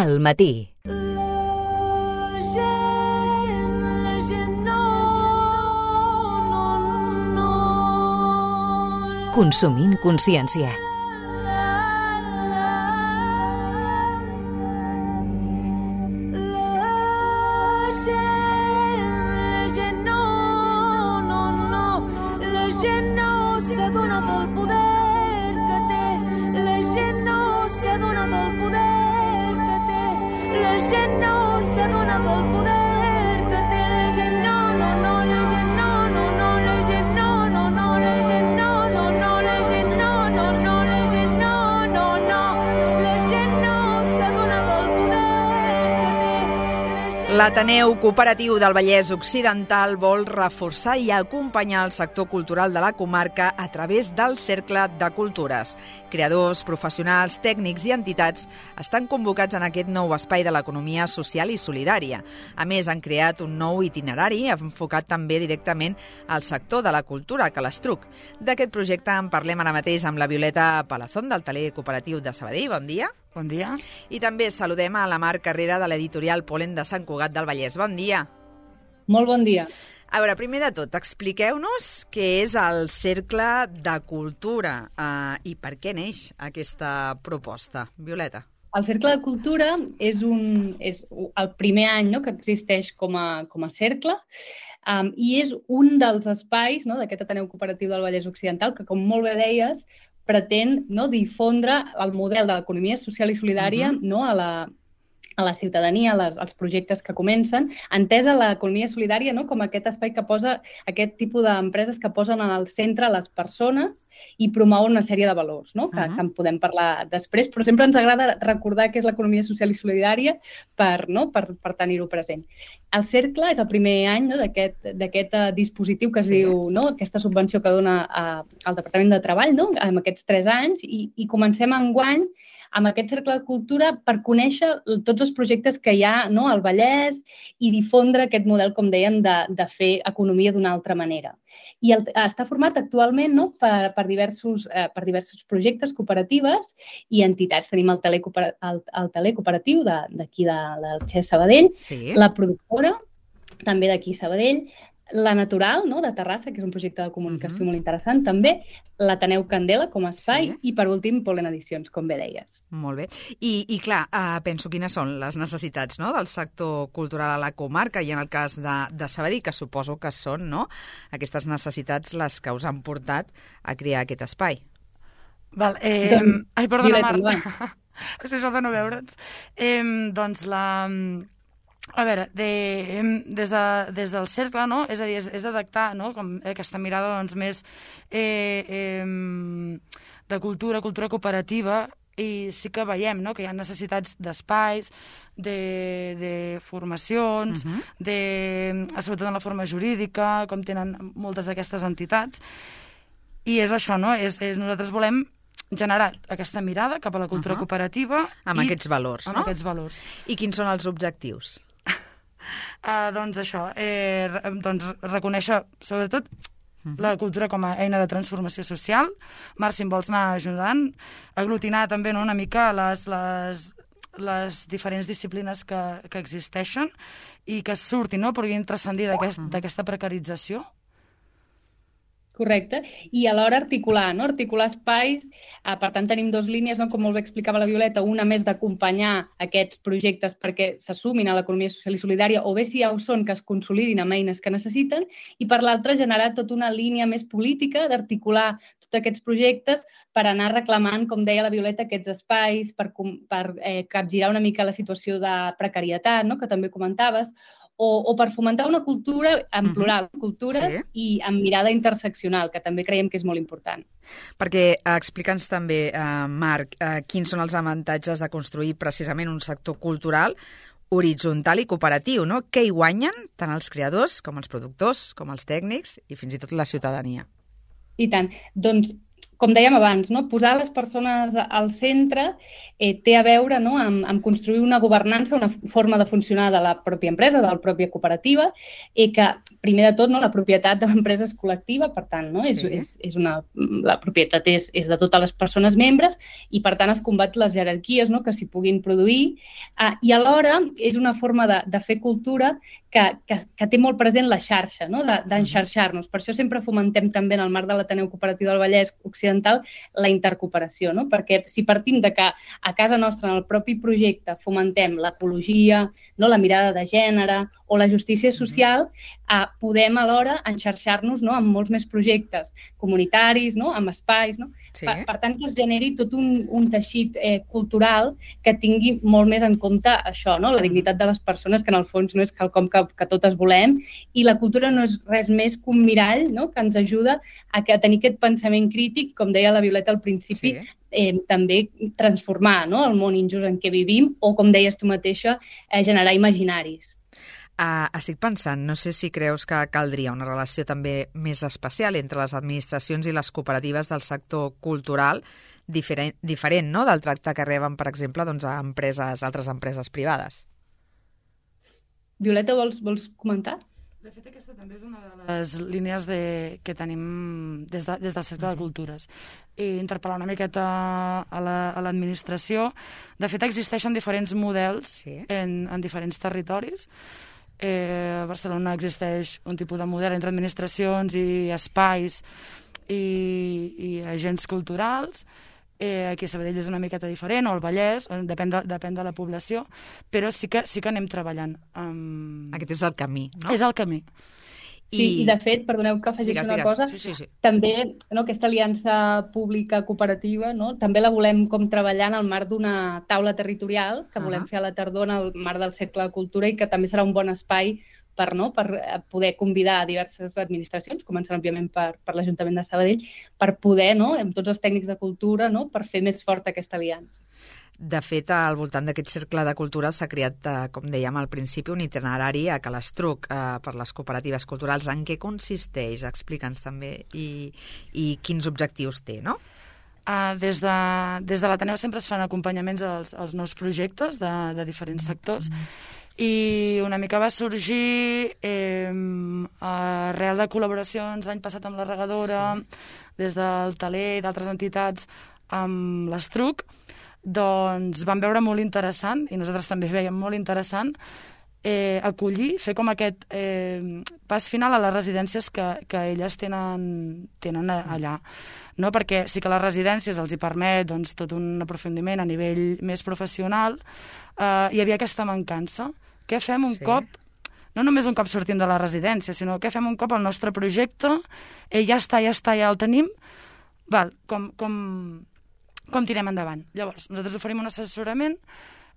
al matí. Consumint consciència. L'Ateneu Cooperatiu del Vallès Occidental vol reforçar i acompanyar el sector cultural de la comarca a través del Cercle de Cultures. Creadors, professionals, tècnics i entitats estan convocats en aquest nou espai de l'economia social i solidària. A més, han creat un nou itinerari enfocat també directament al sector de la cultura, Calastruc. D'aquest projecte en parlem ara mateix amb la Violeta Palazón, del Taler Cooperatiu de Sabadell. Bon dia. Bon dia. I també saludem a la Mar Carrera, de l'editorial Polen de Sant Cugat del Vallès. Bon dia. Molt bon dia. A veure, primer de tot, expliqueu-nos què és el Cercle de Cultura i per què neix aquesta proposta. Violeta. El Cercle de Cultura és el primer any, no?, que existeix com a cercle i és un dels espais, no?, d'aquest Ateneu Cooperatiu del Vallès Occidental que, com molt bé deies, pretén, no, difondre el model de l'economia social i solidària, no, a la ciutadania, als projectes que comencen, entesa l'economia solidària, no, com aquest espai que posa aquest tipus d'empreses que posen en el centre les persones i promouen una sèrie de valors, no, que en podem parlar després, però sempre ens agrada recordar què és l'economia social i solidària per tenir-ho present. El Cercle és el primer any, no, d'aquest dispositiu que es diu, no, aquesta subvenció que dona al Departament de Treball, no, en aquests 3 anys, i comencem enguany amb aquest Cercle de Cultura per conèixer tots els projectes que hi ha, no, al Vallès i difondre aquest model, com dèiem, de fer economia d'una altra manera. I està format actualment, no, per diversos projectes, cooperatives i entitats. Tenim el Taler Cooperatiu d'aquí del Xes Sabadell, la productora, també d'aquí Sabadell, la Natural, no, de Terrassa, que és un projecte de comunicació molt interessant, també, l'Ateneu Candela com a espai i, per últim, Polen Edicions, com bé deies. Molt bé. I clar, penso quines són les necessitats, no, del sector cultural a la comarca i en el cas de Sabadell, que suposo que són, no, aquestes necessitats les que us han portat a crear aquest espai. Val, ai, perdona, Marta. És això de no veure'ns. Doncs a veure, des del cercle, no? És a dir, és detectar, no?, com aquesta mirada, doncs, més de cultura cooperativa, i sí que veiem, no?, que hi ha necessitats d'espais, de formacions, sobretot en la forma jurídica, com tenen moltes d'aquestes entitats, i és això, no?, nosaltres volem generar aquesta mirada cap a la cultura cooperativa. Amb aquests valors, no? Amb aquests valors. I quins són els objectius? Doncs això, reconèixer sobretot la cultura com a eina de transformació social. Marc, si em vols anar ajudant, aglutinar també, no, una mica les diferents disciplines que existeixen i que surtin, no?, puguin transcendir d'aquesta precarització. Correcte. I alhora articular, no? Articular espais. Per tant, tenim 2 línies, no?, com molt bé explicava la Violeta, una més d'acompanyar aquests projectes perquè s'assumin a l'economia social i solidària, o bé si ja ho són, que es consolidin amb eines que necessiten, i per l'altra generar tota una línia més política d'articular tots aquests projectes per anar reclamant, com deia la Violeta, aquests espais, per capgirar una mica la situació de precarietat, no?, que també comentaves, o per fomentar una cultura en plural, cultures i amb mirada interseccional, que també creiem que és molt important. Perquè explica'ns també, Marc, quins són els avantatges de construir precisament un sector cultural horitzontal i cooperatiu, no? Què hi guanyen tant els creadors com els productors, com els tècnics i fins i tot la ciutadania? I tant. Doncs com dèiem abans, no? Posar les persones al centre té a veure, no? amb construir una governança, una forma de funcionar de la pròpia empresa, de la pròpia cooperativa, que, primer de tot, no? La propietat de l'empresa és col·lectiva, per tant, no? La propietat és de totes les persones membres i, per tant, es combat les jerarquies, no? Que s'hi puguin produir. I alhora és una forma de fer cultura que té molt present la xarxa, no? D'enxarxar-nos. Per això sempre fomentem també en el marc de l'Ateneu Cooperatiu del Vallès Occidental la intercooperació, no? Perquè si partim de que a casa nostra, en el propi projecte, fomentem l'ecologia, no? La mirada de gènere o la justícia social, podem alhora enxarxar-nos, no? Amb molts més projectes comunitaris, no? Amb espais. No? Sí. Per tant, que es generi tot un teixit cultural que tingui molt més en compte això, no? La dignitat de les persones, que en el fons no és quelcom que totes volem, i la cultura no és res més que un mirall, no? Que ens ajuda a tenir aquest pensament crític, com deia la Violeta al principi, també transformar, no? El món injust en què vivim o, com deies tu mateixa, generar imaginaris. Estic pensant, no sé si creus que caldria una relació també més especial entre les administracions i les cooperatives del sector cultural, diferent, no?, del tracte que reben, per exemple, doncs, a altres empreses privades. Violeta, vols comentar? De fet, aquesta també és una de les línies que tenim des del Cercle de Cultures. I interpel·lar una miqueta a l'administració. De fet, existeixen diferents models en diferents territoris. A Barcelona existeix un tipus de model entre administracions i espais i agents culturals. Aquí a Sabadell és una miqueta diferent, o al Vallès, depèn de la població, però sí que anem treballant. Aquest és el camí, no? És el camí. Sí, i de fet, perdoneu que afegeixi una cosa, també aquesta aliança pública cooperativa, també la volem com treballar en el marc d'una taula territorial que volem fer a la tardor en el marc del Cercle de Cultura i que també serà un bon espai per poder convidar a diverses administracions, començant òbviament per l'Ajuntament de Sabadell, per poder, amb tots els tècnics de cultura, per fer més forta aquesta aliança. De fet, al voltant d'aquest cercle de cultura s'ha creat, com dèiem al principi, un itinerari a Calestruc per les cooperatives culturals. En què consisteix? Explica'ns també i quins objectius té, no? Des de l'Ateneu sempre es fan acompanyaments als nous projectes de diferents sectors i una mica va sorgir arrel de col·laboracions l'any passat amb la Regadora, des del Taler i d'altres entitats amb l'Estruc. Doncs vam veure molt interessant, i nosaltres també veiem molt interessant, acollir, fer com aquest pas final a les residències que elles tenen allà. No? Perquè sí que les residències els hi permet tot un aprofundiment a nivell més professional, hi havia aquesta mancança. Què fem un cop, no només un cop sortim de la residència, sinó què fem un cop el nostre projecte, ja està, ja el tenim, com tirem endavant. Llavors, nosaltres oferim un assessorament,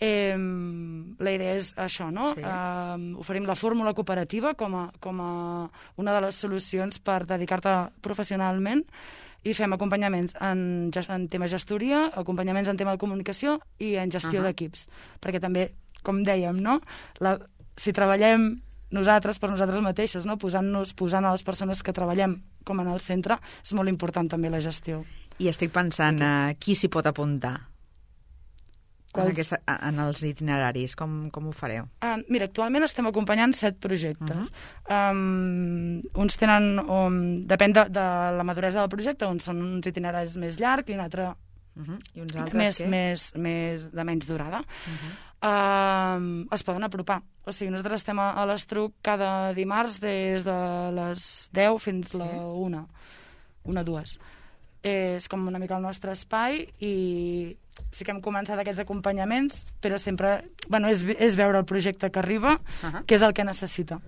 la idea és això, no? Oferim la fórmula cooperativa com a una de les solucions per dedicar-te professionalment i fem acompanyaments en tema gestoria, acompanyaments en tema de comunicació i en gestió d'equips. Perquè també, com dèiem, no? Si treballem nosaltres per nosaltres mateixes, no? Posant a les persones que treballem com en el centre, és molt important també la gestió. I estic pensant, qui s'hi pot apuntar en els itineraris? Com ho fareu? Mira, actualment estem acompanyant 7 projectes. Uns tenen, depèn de la maduresa del projecte, uns són uns itineraris més llargs i un altre I uns altres més de menys durada. Es poden apropar. O sigui, nosaltres estem a l'Estruc cada dimarts des de les 10 fins a la 1, 2. És com una mica el nostre espai i sí que hem començat aquests acompanyaments, però sempre és veure el projecte que arriba, que és el que necessita.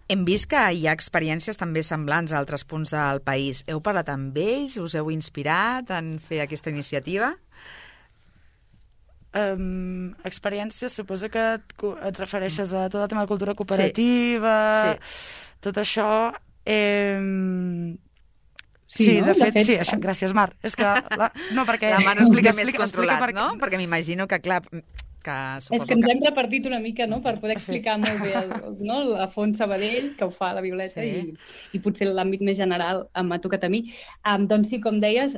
Hem vist que hi ha experiències també semblants a altres punts del país. Heu parlat amb ells? Us heu inspirat en fer aquesta iniciativa? Experiències, suposo que et refereixes a tot el tema de cultura cooperativa, tot això. Sí, de fet, sí, això, gràcies, Mar. És que, no, perquè... La Mar explica més controlat, no? Perquè m'imagino que, clar, És que ens hem repartit una mica, no?, per poder explicar molt bé la Font Sabadell, que ho fa la Violeta, i potser l'àmbit més general m'ha tocat a mi. Doncs sí, com deies,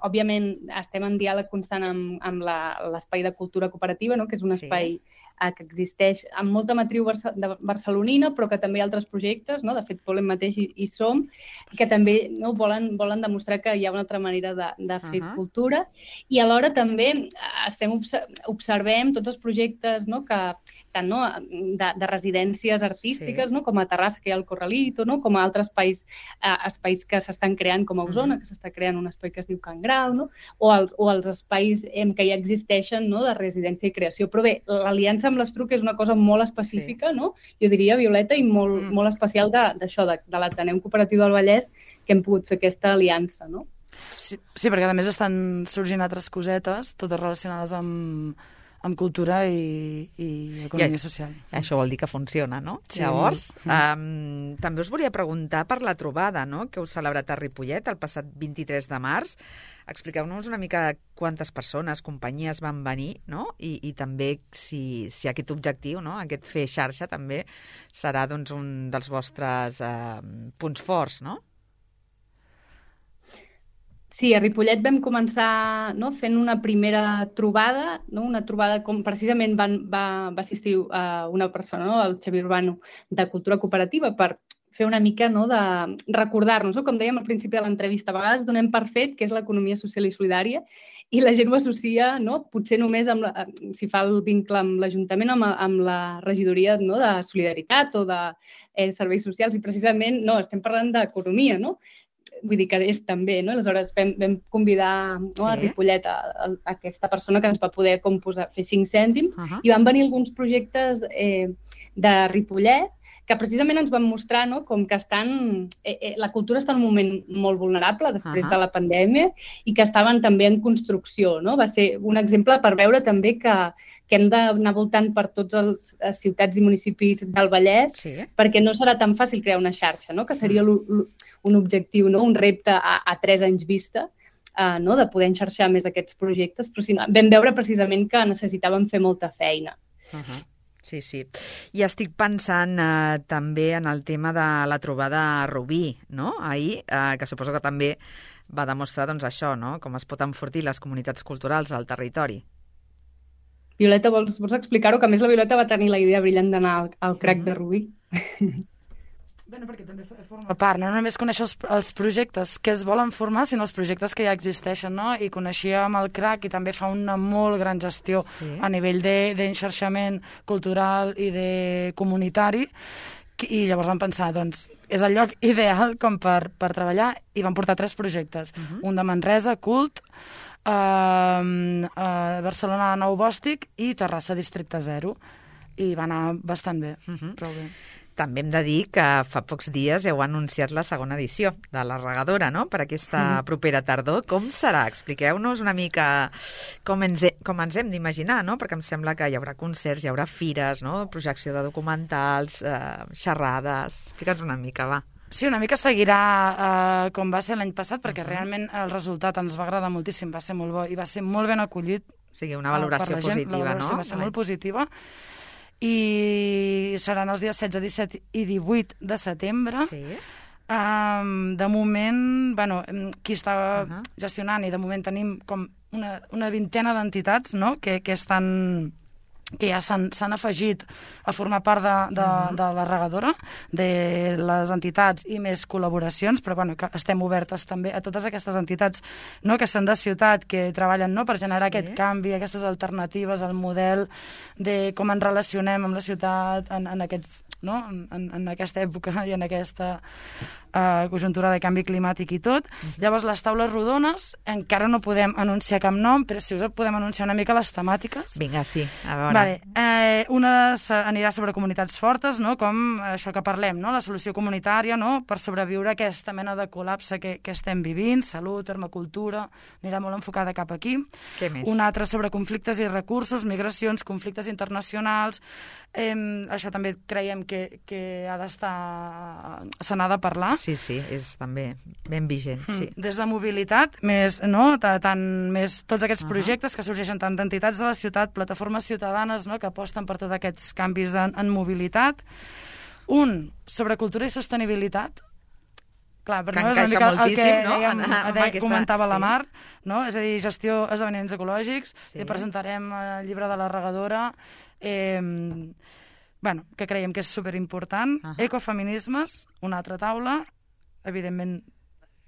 òbviament estem en diàleg constant amb l'espai de cultura cooperativa, no?, que és un espai que existeix amb molta matriu barcelonina, però que també hi ha altres projectes, no?, de fet, Polem mateix hi som, que també volen demostrar que hi ha una altra manera de fer cultura, i alhora també observem tots els projectes, no?, que tant de residències artístiques, no?, com a Terrassa, que hi ha el Corralito, no?, com a altres espais que s'estan creant, com a Osona, que s'està creant un espai que es diu Can Grau, no?, o els espais que ja existeixen, no?, de residència i creació. Però bé, l'aliança amb l'Estruc és una cosa molt específica, no?, jo diria, Violeta, i molt especial d'això, de l'Ateneu Cooperatiu del Vallès, que hem pogut fer aquesta aliança, no? Sí, perquè a més estan sorgint altres cosetes, totes relacionades amb cultura i economia social. Això vol dir que funciona, no? Sí. Llavors, també us volia preguntar per la trobada, no?, que heu celebrat a Ripollet el passat 23 de març. Expliqueu-nos una mica quantes persones, companyies van venir, no?, i també si aquest objectiu, no?, aquest fer xarxa també serà doncs, un dels vostres punts forts, no? Sí, a Ripollet vam començar fent una primera trobada, una trobada com precisament va assistir una persona, el Xavier Urbano, de Cultura Cooperativa, per fer una mica de recordar-nos, com dèiem al principi de l'entrevista, a vegades donem per fet que és l'economia social i solidària i la gent ho associa, potser només si fa el vincle amb l'Ajuntament, amb la regidoria de solidaritat o de serveis socials, i precisament estem parlant d'economia, no? Vull dir que és també, no? Aleshores vam convidar a Ripollet a aquesta persona que ens va poder fer 5 cèntims i van venir alguns projectes de Ripollet que precisament ens van mostrar com que la cultura està en un moment molt vulnerable després de la pandèmia i que estaven també en construcció, no? Va ser un exemple per veure també que hem d'anar voltant per tots els ciutats i municipis del Vallès perquè no serà tan fàcil crear una xarxa, no? Que seria un objectiu, un repte a 3 anys vista, de poder enxarxar més aquests projectes, però vam veure precisament que necessitàvem fer molta feina. Sí. I estic pensant també en el tema de la trobada a Rubí, no?, ahir, que suposo que també va demostrar això, no?, com es pot enfortir les comunitats culturals al territori. Violeta, vols explicar-ho? Que a més la Violeta va tenir la idea brillant d'anar al CRAC de Rubí. Bueno, perquè també forma part, no només conèixer els projectes que es volen formar, sinó els projectes que ja existeixen, no? I coneixíem el CRAC i també fa una molt gran gestió a nivell d'enxarxament cultural i de comunitari, i llavors vam pensar, doncs, és el lloc ideal com per treballar, i vam portar 3 projectes. Un de Manresa, Cult, Barcelona, Nou Bòstic, i Terrassa, Districte 0. I va anar bastant bé, prou bé. També hem de dir que fa pocs dies heu anunciat la segona edició de la regadora, no?, per aquesta propera tardor. Com serà? Expliqueu-nos una mica com ens hem d'imaginar, no?, perquè em sembla que hi haurà concerts, hi haurà fires, no?, projecció de documentals, xerrades. Explica'ns una mica, va. Sí, una mica seguirà com va ser l'any passat, perquè realment el resultat ens va agradar moltíssim, va ser molt bo i va ser molt ben acollit. O sigui, una valoració positiva, no? La valoració va ser molt positiva. I seran els dies 16, 17 i 18 de setembre. De moment, qui estava gestionant, i de moment tenim com una vintena d'entitats, no?, que ja s'han afegit a formar part de la regadora, de les entitats i més col·laboracions, però que estem obertes també a totes aquestes entitats, no?, que són de ciutat, que treballen, no?, per generar aquest canvi, aquestes alternatives al model de com ens relacionem amb la ciutat en aquesta època i en aquesta conjuntura de canvi climàtic i tot. Llavors, les taules rodones encara no podem anunciar cap nom, però sí us podem anunciar una mica les temàtiques. Vinga, sí, a veure. Vale. Una anirà sobre comunitats fortes, no? Com això que parlem, no? La solució comunitària, no? Per sobreviure a aquesta mena de col·lapse que estem vivint, salut, permacultura, anirà molt enfocada cap aquí. Què més? Una altra sobre conflictes i recursos, migracions, conflictes internacionals. Això també creiem que ha d'estar... se n'ha de parlar. Sí, és també ben vigent, sí. Des de mobilitat, més, no? Més tots aquests projectes que sorgeixen tant d'entitats de la ciutat, plataformes ciutadanes, no? Que aposten per tots aquests canvis en mobilitat. Un, sobre cultura i sostenibilitat. Clar, per que nosaltres encaixa el moltíssim, que comentava la Mar, no? És a dir, gestió esdeveniments ecològics, i presentarem el llibre de l'arregadora, que creiem que és superimportant. Ecofeminismes, una altra taula, evidentment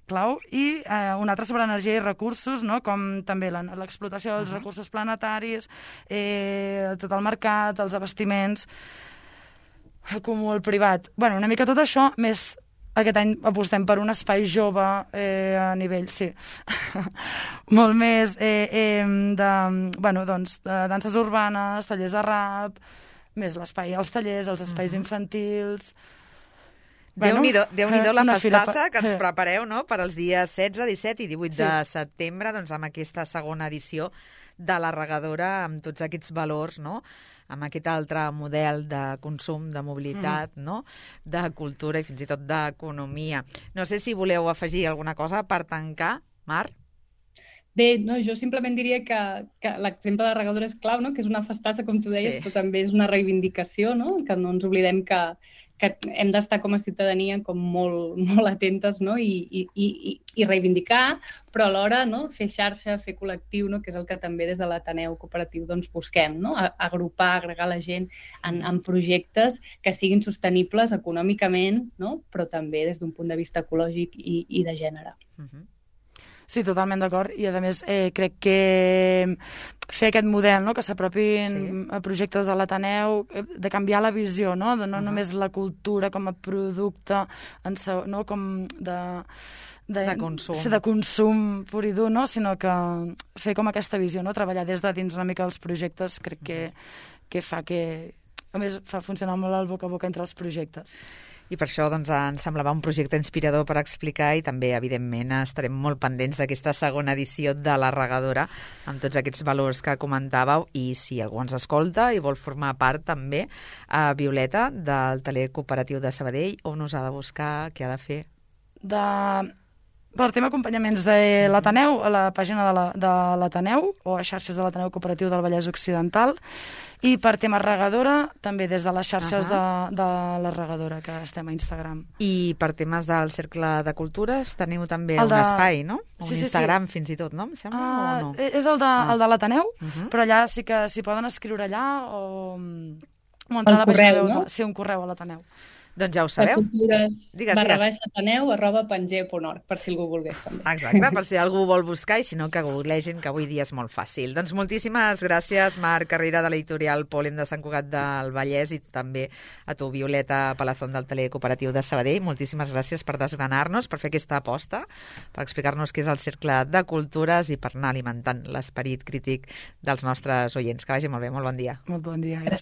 clau, i una altra sobre energia i recursos, no? Com també l'explotació dels recursos planetaris, tot el mercat, els abastiments, el comú, el privat. Una mica tot això, més aquest any apostem per un espai jove a nivell, sí, molt més de danses urbanes, tallers de rap, més l'espai, els tallers, els espais infantils... Déu-n'hi-do la festassa que ens prepareu, no?, per als dies 16, 17 i 18 de setembre, doncs amb aquesta segona edició de la regadora, amb tots aquests valors, no?, amb aquest altre model de consum, de mobilitat, no?, de cultura i fins i tot d'economia. No sé si voleu afegir alguna cosa per tancar, Mar? Bé, no, jo simplement diria que l'exemple de la regadora és clau, no? Que és una festassa, com tu deies, però també és una reivindicació, no? Que no ens oblidem que hem d'estar com a ciutadania com molt atentes, no? I reivindicar, però alhora, no? Fer xarxa, fer col·lectiu, no? Que és el que també des de l'Ateneu Cooperatiu doncs, busquem, no? Agrupar, agregar la gent en projectes que siguin sostenibles econòmicament, no? Però també des d'un punt de vista ecològic i de gènere. Sí, totalment d'acord. I, a més, crec que fer aquest model, no?, que s'apropin a projectes de l'Ateneu, de canviar la visió, no?, de no només la cultura com a producte, no?, com de consum. Sí, de consum pur i dur, no?, sinó que fer com aquesta visió, no?, treballar des de dins una mica els projectes, crec que fa que... A més, fa funcionar molt el boca a boca entre els projectes. I per això doncs, ens semblava un projecte inspirador per explicar i també, evidentment, estarem molt pendents d'aquesta segona edició de la regadora amb tots aquests valors que comentàveu i si algú ens escolta i vol formar part també a Violeta del Taller Cooperatiu de Sabadell, on us ha de buscar, què ha de fer? Per tema acompanyaments de l'Ateneu, a la pàgina de l'Ateneu o a xarxes de l'Ateneu Cooperatiu del Vallès Occidental, i per tema regadora també des de les xarxes de la regadora que estem a Instagram. I per temes del Cercle de Cultures teniu també un espai, no? Un Instagram fins i tot, no? Em sembla, o no? És el de l'Ateneu, però allà sí que s'hi poden escriure allà o entrar a la pàgina web, no? Sí, un correu a l'Ateneu. Doncs ja ho sabeu. cultures@ateneu@penge.org, per si algú volgués també. Exacte, per si algú vol buscar i si no que googlegin, que avui dia és molt fàcil. Doncs moltíssimes gràcies, Marc Carrera, de l'editorial Pol·len de Sant Cugat del Vallès, i també a tu, Violeta Palazón, del Taller Cooperatiu de Sabadell. Moltíssimes gràcies per desgranar-nos, per fer aquesta aposta, per explicar-nos què és el Cercle de Cultures i per anar alimentant l'esperit crític dels nostres oients. Que vagi molt bé, molt bon dia. Molt bon dia, gràcies.